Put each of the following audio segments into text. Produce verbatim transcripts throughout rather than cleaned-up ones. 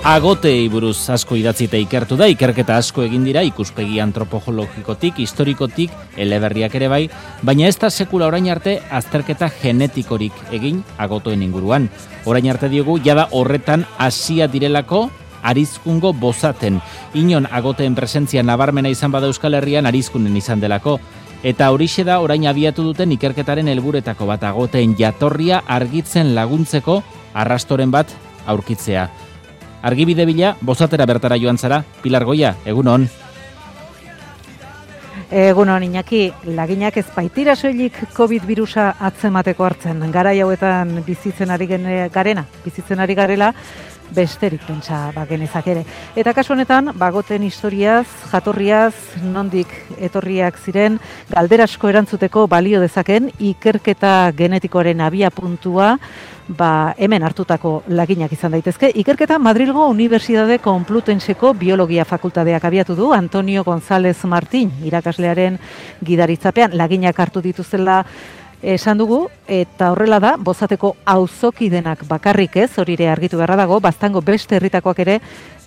Agotei buruz asko idatzita ikertu da, ikerketa asko egin dira, ikuspegi antropologikotik, historikotik, eleberriak ere bai, baina ez da sekula orain arte azterketa genetikorik egin agotoen inguruan. Orain arte diogu, jada horretan hasia direlako arizkungo bozaten. Inon agoteen presentzia nabarmena izan bada Euskal Herrian arizkunen izan delako. Eta horixe da orain abiatu duten ikerketaren helburetako bat, agoteen jatorria argitzen laguntzeko arrastoren bat aurkitzea. Argibide bila, bozatera bertara joan zara, Pilar Goia, egunon. Egunon, Iñaki, laginak ez baitira soilik COVID virusa atzemateko hartzen. Garai hauetan bizitzen ari garena, bizitzen ari garela, besterik pentsa bagenezak ere. Eta kasu honetan, bagoten historiaz, jatorriaz, nondik etorriak ziren, galderasko erantzuteko balio dezaken, ikerketa genetikoaren abia puntua, ba, hemen hartutako laginak izan daitezke. Ikerketa Madrilgo Unibertsitate Konplutenseko Biologia Fakultateak abiatu du, Antonio González Martín, irakaslearen gidaritzapean, laginak hartu dituzela esan dugu, eta horrela da, bozateko auzokidenak bakarrik ez, hori ere argitu beharra dago, baztango beste herritakoak ere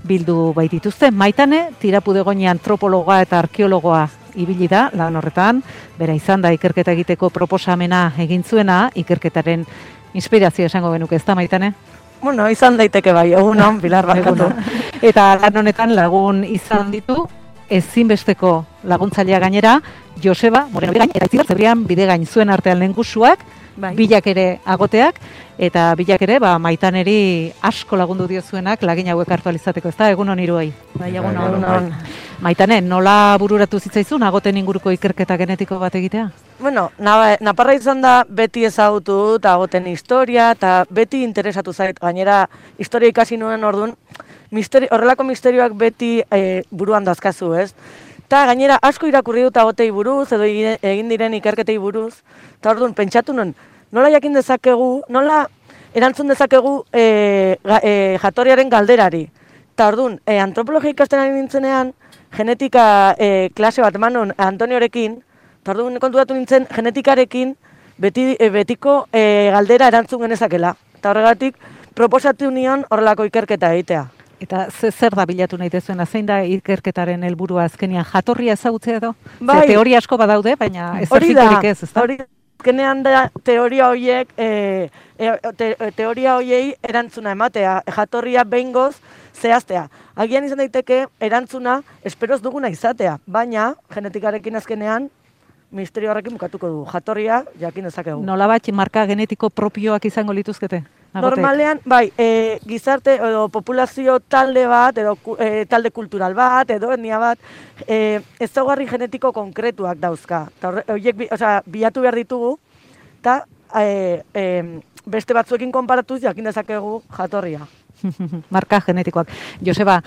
bildu baitituzte. Maitane, Tirapudegoni antropologa eta arkeologoa ibili da, lan horretan, bera izan da ikerketa egiteko proposamena egin zuena, ikerketaren inspirazio esango genuke, ez da, Maitane? Bueno, izan daiteke bai, egunon, Pilar barkatu. Eta lan honetan lagun izan ditu, ezinbesteko laguntzailea gainera, Joseba Moreno Bidegain, eta Itziar Zebrian Bidegain zuen artean lehengusuak, bai. Bilak ere agoteak, eta bilak ere ba, Maitaneri asko lagundu diozuenak lagin hauek hartu alizateko, ez da, egunon hiruei. Bai, egunon. egunon. Maitane, nola bururatu zitzaizun agoten inguruko ikerketa genetiko bat egitea? Bueno, naparra izan da beti ezagutu eta agoten historia, eta beti interesatu zait, gainera historia ikasi nuen orduan, misteri, horrelako misterioak beti e, buruan dazkazu, ez? Eta gainera asko irakurri dut agotei buruz, edo egin diren ikerketei buruz, eta orduan pentsatu nuen, nola jakin dezakegu, nola erantzun dezakegu e, ga, e, jatorriaren galderari. Eta orduan, e, antropologia ikasten ari nintzenean, genetika e, klase bat eman nuen Antoniorekin, eta orduan kontutatu nintzen genetikarekin beti, e, betiko e, galdera erantzun genezakela. Eta horregatik, proposatu nion horrelako ikerketa egitea. Eta zer da bilatu nahi dezuena, zein da ikerketaren helburua azkenean jatorria ezagutzea edo? Bai. Ze teoria asko badaude, baina ez dakiturik ez, ez da? Hori da, azkenean da teoria horiek, e, te, teoria horiei erantzuna ematea, jatorria behingoz zehaztea. Agian izan daiteke erantzuna esperoz duguna izatea, baina genetikarekin azkenean misterio horrekin bukatuko du. Jatorria jakin dezakegu. Nolabait marka genetiko propioak izango lituzkete? Agotek. Normalean, bai, e, gizarte edo populazio talde bat, edo e, talde kultural bat, edo etnia bat, e, ezaugarri genetiko konkretuak dauzka. Eta horiek, osea, bilatu behar ditugu, eta e, e, beste batzuekin konparatuz jakin dezakegu jatorria. Marka genetikoak. Joseba,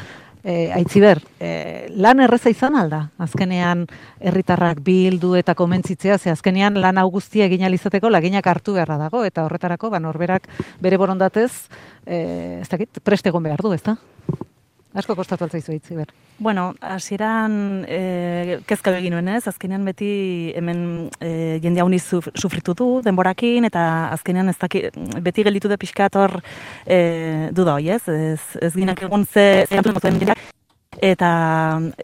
E, Aitziber, e, lan erreza izan alda? Azkenean herritarrak bildu eta komentzitzea, ze azkenean lan hau guztia egin alizateko laginak hartu beharra dago, eta horretarako ba, norberak bere borondatez, e, ez dakit, prest egon behar du, ez da? Asko kostatu altzaizu, Aitziber. Bueno, hasieran e, kezka egin nuen ez, azkenean beti hemen e, jende hauni sufritu du denborakin, eta azkenean ez daki, beti gelditu da pixkat hor e, duda hoi ez, ez, ez ginak egun ze zehantu duten jendeak. Eta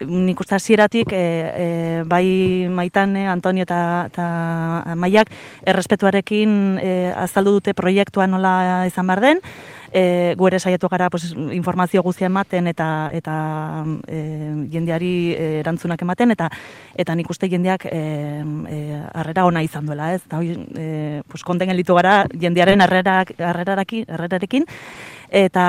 nik uste hasieratik e, e, bai Maitane, Antonio eta, eta Maiak errespetuarekin e, azaldu dute proiektua nola izan behar den. E, gu ere saiatu gara pues, informazio guztia ematen eta eta e, jendeari erantzunak ematen, eta eta nik uste jendeak e, e, harrera ona izan duela, ez? Eta hori e, pues, konten gelditu gara jendearen harrerak, harrerarekin, harrerarekin, eta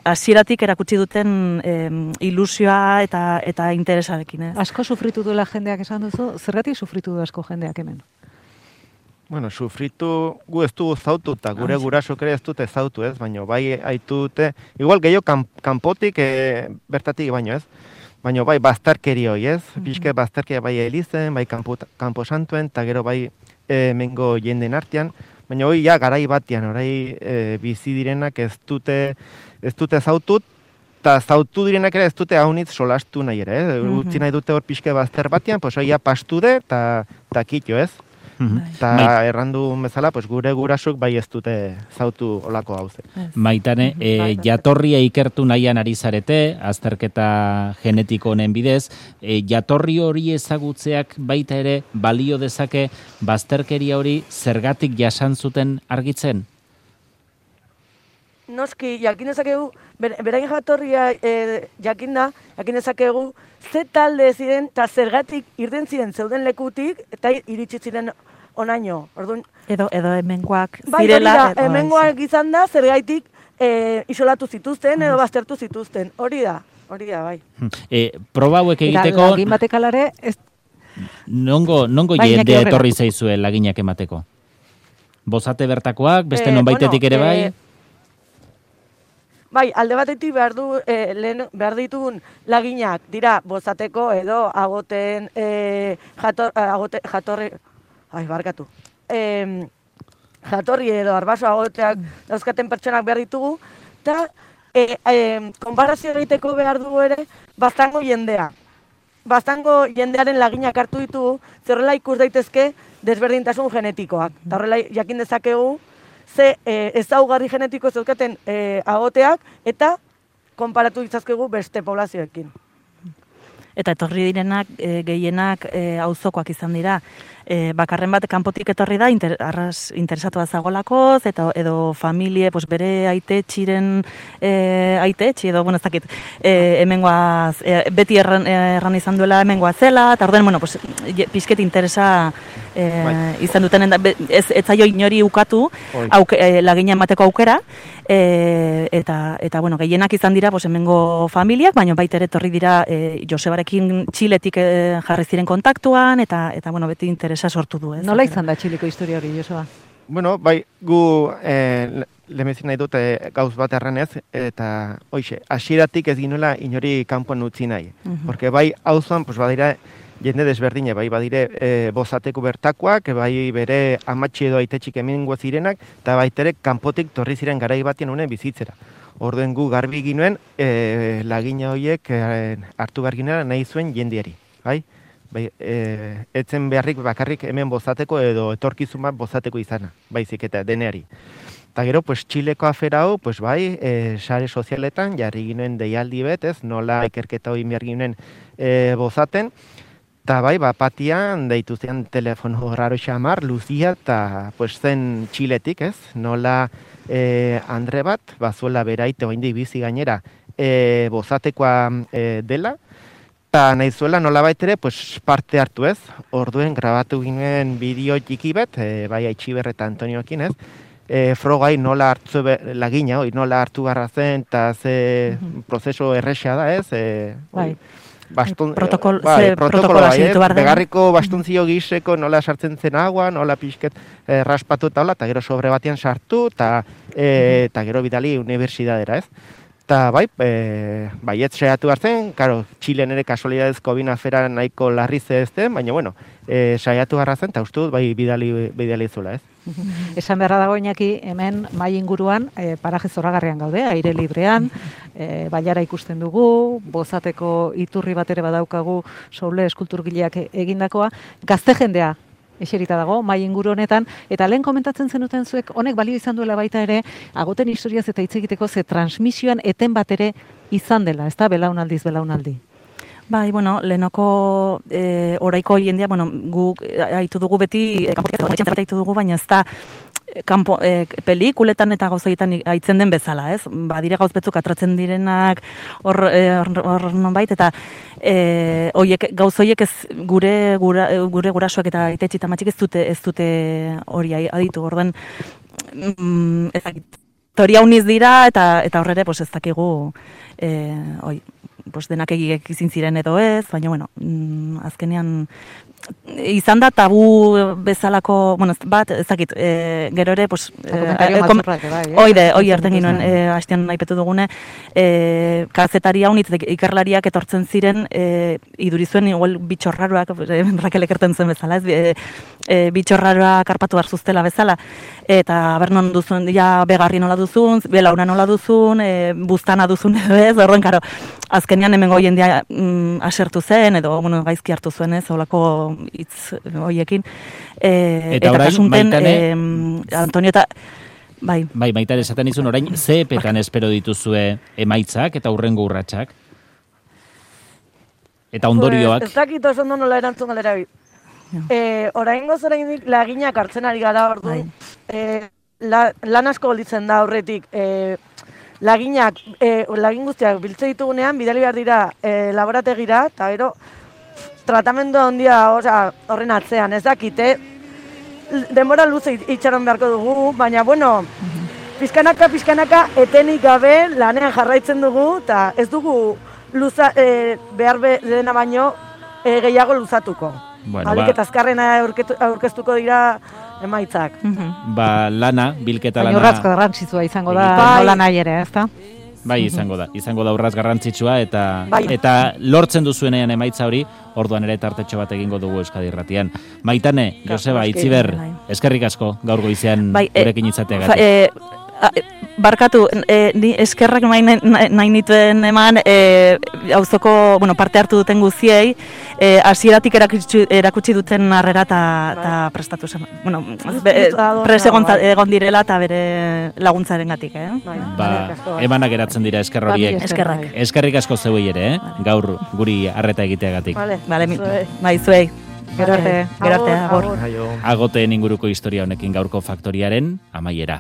hasieratik erakutsi duten e, ilusioa eta eta interesarekin, ez? Asko sufritu duela jendeak esan duzu, zergatik sufritu du asko jendeak hemen? Bueno, sufritu gu ez dugu zautu, eta gure gurasok ere ez dute zautu, ez? Baina bai haitu dute, igual gehiago kan, kanpotik, e, bertatik baino, ez? Baina bai bazterkeri hoi, ez? Mm-hmm. Pixke bazterkeria bai elizen, bai kanpo, kanpo santuen, eta gero bai e, mengo jenden artean, baina hoi ja garai batean, orai e, bizi direnak ez dute, ez dute zautut, eta zautu direnak ere ez dute haunitz solastu nahi ere, eh? Mm-hmm. Utzi nahi dute hor pixke bazter batean, pues hoi ja pastu de, eta kitio, ez? Eta bai. Errandu bezala, pues, gure gurasuk bai ez dute zautu olako hauze. Maitane, e, jatorria ikertu nahian ari zarete, azterketa genetiko honen bidez, e, jatorri hori ezagutzeak baita ere balio dezake bazterkeria hori zergatik jasan zuten argitzen? Noski, jakin dezakegu, berain jatorria e, jakin da, jakin dezakegu, ze talde ziren eta zergatik irten ziren zeuden lekutik eta iritsi ziren onaino. Orduan, edo edo hemengoak bai, zirela. Bai, hemengoak izan da zergaitik e, isolatu zituzten edo baztertu zituzten. Hori da, hori da, bai. E, proba hauek egiteko... Lagin batek alare... Ez... Nongo, nongo jende etorri zaizue laginak emateko? Bozate bertakoak, beste non baitetik ere bai... E, Bai, alde batetik behar, du, eh, lehen, behar ditugun laginak dira bozateko edo agoten eh, jator, agote, jatorri, ai, barkatu, eh, jatorri edo arbaso agoteak dauzkaten pertsonak behar ditugu, eta eh, eh, konparazio egiteko behar dugu ere baztango jendea. Baztango jendearen laginak hartu ditugu, zerrela ikus daitezke desberdintasun genetikoak. Eta horrela jakin dezakegu, ze e, ezaugarri genetiko zeukaten e, agoteak eta konparatu ditzazkegu beste poblazioekin. Eta etorri direnak, e, gehienak e, auzokoak izan dira. E, bakarren bat kanpotik etorri da, inter, arras interesatu zagolakoz, eta edo familie, pues, bere aitetxiren e, aitetxi, edo, bueno, ez dakit, e, hemengoaz, e, beti erran, erran izan duela hemengoa zela, eta orden, bueno, pues, pixket interesa e, izan duten, ez, ez zaio inori ukatu, auke, e, lagina emateko aukera, e, eta, eta, bueno, gehienak izan dira, pues, hemengo familiak, baina baita ere etorri dira e, Josebarekin Txiletik e, jarri ziren kontaktuan, eta, eta bueno, beti interesa sortu du, ez? Nola izan da Txileko historia hori, Joseba? Bueno, bai, gu eh, lemezin nahi dute gauz bat erranez, eta hoxe, hasieratik ez ginuela inori kanpoan utzi nahi. Uh-huh. Porque bai, auzoan, pues badira, jende desberdine, bai, badire e, bozateko bertakoak, bai bere amatxi edo aitetxik emingo zirenak, eta baitere kanpotik torri ziren garai batien honen bizitzera. Orduen gu garbi ginuen, e, lagina horiek e, hartu garginera nahi zuen jendiari, bai? Bai, e, etzen beharrik bakarrik hemen bozateko edo etorkizun bat bozateko izana, baizik eta deneari. Eta gero, pues, Txileko afera hau, pues, bai, e, sare sozialetan, jarri ginen deialdi bet, ez, nola ikerketa hori behar ginen e, bozaten, eta bai, bapatian, deitu zen telefono raro xamar, Luzia, eta pues, zen Txiletik, ez, nola e, Andre bat, bazuela beraite oindik bizi gainera, e, bozatekoa e, dela, eta nahi zuela nola baitere pues, parte hartu ez, orduen grabatu ginen bideo txiki bet, e, bai Aitxiber eta Antonioekin ez, e, frogai nola hartu be, lagina, oi, nola hartu garra zen, eta ze mm-hmm. prozeso errexea da ez, e, bai. Bastun, Protokol, bai, protokoloa, bai, begarriko bastuntzio giseko nola sartzen zen agua, nola pixket e, raspatu eta hola, eta gero sobre batean sartu, eta e, gero bidali unibertsidadera ez. Eta bai, e, baiet saiatu hartzen, karo, Txilen ere kasualidadezko bina afera nahiko larri zehazten, baina bueno, e, saiatu garra zen, eta uste dut bai bidali, bidali zula, ez? Esan beharra dago Iñaki, hemen mai inguruan e, paraje zoragarrian gaude, aire librean, e, bailara ikusten dugu, bozateko iturri bat ere badaukagu Soule eskulturgileak egindakoa, gazte jendea eserita dago, mai inguru honetan, eta lehen komentatzen zenuten zuek, honek balio izan duela baita ere, agoten historiaz eta hitz egiteko ze transmisioan eten bat ere izan dela, ez da, belaunaldiz, belaunaldi. Bai, bueno, lehenoko e, oraiko jendea, bueno, guk haitu dugu beti, kanpotik haitu dugu, baina ez da, kanpo, e, pelikuletan eta gauzaietan aitzen den bezala, ez? Badire gauz betzuk atratzen direnak hor hor nonbait eta eh hoiek gauz hoiek ez gure gura, gure gurasoak eta aitetxi eta matxik ez dute ez dute hori aditu. Orduan mm, ez dakit. Teoria uniz dira eta eta horrere pues ez dakigu eh hoi pues denak egiek izin ziren edo ez, baina bueno, mm, azkenean izan da tabu bezalako, bueno, bat, ez dakit, e, gero ere, pues, komentario e, kom, bai, eh? oide, oi erten ginoen, e, hastean nahi petu dugune, e, kazetari hau nitz, ikerlariak etortzen ziren, e, idurizuen, igual, bitxorraroak, e, Rakelek erten zen bezala, ez, e, e, bitxorraroak karpatu barzuztela bezala, eta bernon duzun, ja, begarri nola duzun, belauna nola duzun, e, buztana duzun edo ez, horren, karo, azken azkenean hemengo jendea mm, asertu zen, edo bueno, gaizki hartu zuen ez, holako hitz hoiekin. E, eta orain, kasunten, Maitane... e, Antonio eta... Bai. Bai, Maitane esaten izun orain, ze epetan espero dituzue emaitzak eta hurrengo urratsak? Eta ondorioak? Pues, ez dakit oso ondo nola erantzun galera bi. Eh, oraingoz oraindik laginak hartzen ari gara ordu. Bai. Eh, la, lan asko gelditzen da aurretik. Eh, laginak, eh, lagin guztiak biltze ditugunean, bidali behar dira eh, laborategira, eta gero tratamendu handia osea, horren atzean, ez dakite, denbora luze itxaron beharko dugu, baina bueno, pizkanaka, pizkanaka, etenik gabe lanean jarraitzen dugu, eta ez dugu luza, e, behar be, dena baino e, gehiago luzatuko. Bueno, Alik ba, eta azkarrena aurketu- aurkeztuko dira emaitzak. ba, lana, bilketa Baina lana... urratz garrantzitsua izango da, Bai. nola nahi ere, ezta? Bai, izango da. Izango da urraz garrantzitsua eta Bai. eta lortzen duzuenean emaitza hori, orduan ere tartetxo bat egingo dugu Euskadi Irratian. Maitane, Joseba, noski. Itziber, Bai. eskerrik asko gaur goizean Bai, e, gurekin izateagatik. e, a, e, barkatu, e, ni eskerrak nahi, nahi, nahi nituen eman e, auzoko, bueno, parte hartu duten guziei, e, hasieratik erakutsi, erakutsi duten harrera eta prestatu zen. Bueno, be, e, pres egon, Bai. egon direla eta bere laguntzaren gatik, eh? Bai, Ba, eskerrik asko, bai. emanak geratzen dira esker horiek. Eskerrak. Eskerrik asko zeuei ere, eh? Gaur guri harreta egiteagatik. Vale, Vale, mi, zuei. bai, zuei. Gero arte. Gero arte, Agur, agur. agur. Aio. Agoteen inguruko historia honekin gaurko faktoriaren amaiera.